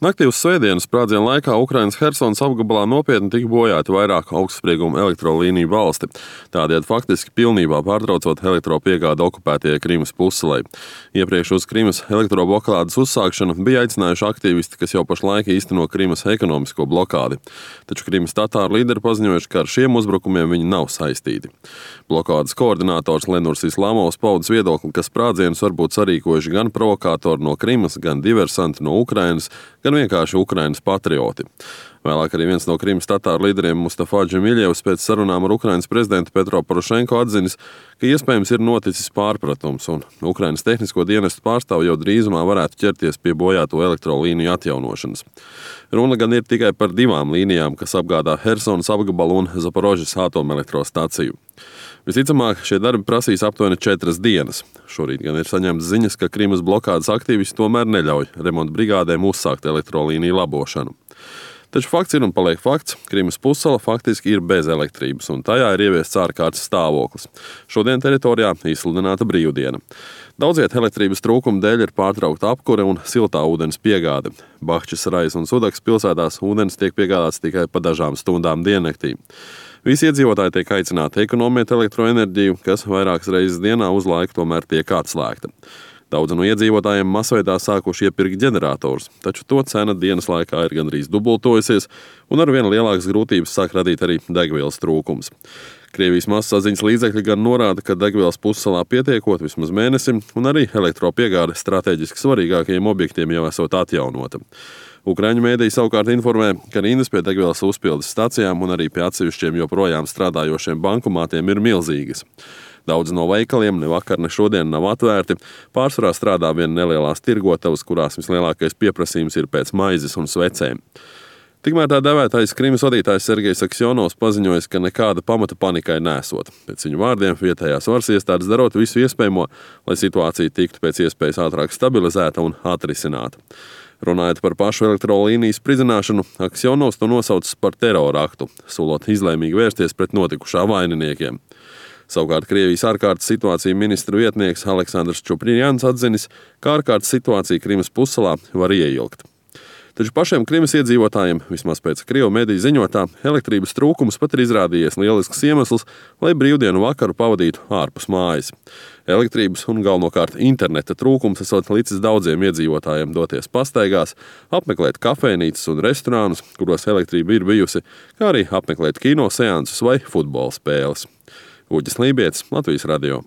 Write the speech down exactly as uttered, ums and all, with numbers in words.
Naktī uz svētdienas sprādziena laikā Ukrainas Hersonas apgabalā nopietni tika bojāti vairāk augstsprieguma elektrolīniju valsti, tādējādi faktiski pilnībā pārtraucot elektropiegādi okupētajai Krimas pussalei. Iepriekš uz Krimas elektroblokādes uzsākšanu bija aicinājuši aktīvisti, kas jau pašlaik īsteno Krimas ekonomisko blokādi. Taču Krimas tatāru līderi paziņojuši, ka ar šiem uzbrukumiem viņi nav saistīti. Blokādes koordinators Lenurs Islamovs paudis viedokli, ka sprādzienus var būt sarīkojuši gan provokātori no Krimas, gan diversanti no Ukrainas, gan vienkārši Ukrainas patrioti. Vēlāk arī viens no Krimas tatāru līderiem Mustafa Džemiļevs pēc sarunām ar Ukrainas prezidentu Petro Porošenko atzinis, ka iespējams ir noticis pārpratums, un Ukrainas tehnisko dienestu pārstāvi jau drīzumā varētu ķerties pie bojāto elektrolīniju atjaunošanas. Runa gan ir tikai par divām līnijām, kas apgādā Hersonas apgabalu un Zaporožas atomelektrostaciju. Visticamāk, šie darbi prasīs aptuveni četras dienas. Šorīt gan ir saņemts ziņas, ka Krimas blokādes aktīvisti tomēr neļauj remonta brigādēm uzsākt elektrolīniju labošanu. Taču fakts ir un paliek fakts, Krimas pussala faktiski ir bez elektrības, un tajā ir ieviests ārkārtas stāvoklis. Šodien teritorijā izsludināta brīvdiena. Daudziet elektrības trūkuma dēļ ir pārtraukta apkure un siltā ūdens piegāde. Bahčas, Rais un Sudaks pilsētās ūdens tiek piegādāts tikai pa dažām stundām diennaktī. Visi iedzīvotāji tiek aicināti ekonomēt elektroenerģiju, kas vairākas reizes dienā uz laiku tomēr tiek atslēgta. Daudzi no iedzīvotājiem masveidā sākuši iepirkt ģeneratorus, taču to cena dienas laikā ir gandrīz dubultojusies, un ar vien lielākas grūtības sāk radīt arī degvielas trūkums. Krievijas masasaziņas līdzekļi gan norāda, ka degvielas pussalā pietiekot vismaz mēnesim, un arī elektropiegāde strateģiski svarīgākajiem objektiem jau esot atjaunota. Ukraiņu mēdīji savukārt informē, ka rindas pie degvielas uzpildes stacijām un arī pie atsevišķiem joprojām strādājošiem bankomātiem ir milzīgas. Daudz no veikaliem ne vakar, ne šodien nav atvērti. Pārsvarā strādā vien nelielās tirgotavas, kurās vislielākais pieprasījums ir pēc maizes un svecēm. Tikmēr tā devētais Krimas vadītājs Sergejs Aksjonovs paziņojis, ka nekāda pamata panikai nesot. Pēc viņu vārdiem vietējās varas iestādes darot visu iespējamo, lai situācija tiktu pēc iespējas ātrāk stabilizēta un atrisināta. Runājot par pašu elektrolīniju spridzināšanu, Aksjonovs to nosaucis par terora aktu, solot izlēmīgi vērsties pret notikušā vaininiekiem. Savukārt Krievijas ārkārtas situācija ministru vietnieks Aleksandrs Čuprjans atzinis, ka ārkārtas situācija Krimas pussalā var ieilgt. Taču pašiem Krimas iedzīvotājiem, vismaz pēc Krievu mediju ziņotā, elektrības trūkums pat ir izrādījies lielisks iemesls, lai brīvdienu vakaru pavadītu ārpus mājas. Elektrības un galvenokārt interneta trūkums esot licis daudziem iedzīvotājiem doties pastaigās, apmeklēt kafejnīcas un restorānus, kuros elektrība ir bijusi, kā arī apmeklēt kino seansus vai futbola spēles. Uģis Lībietis, Latvijas radio.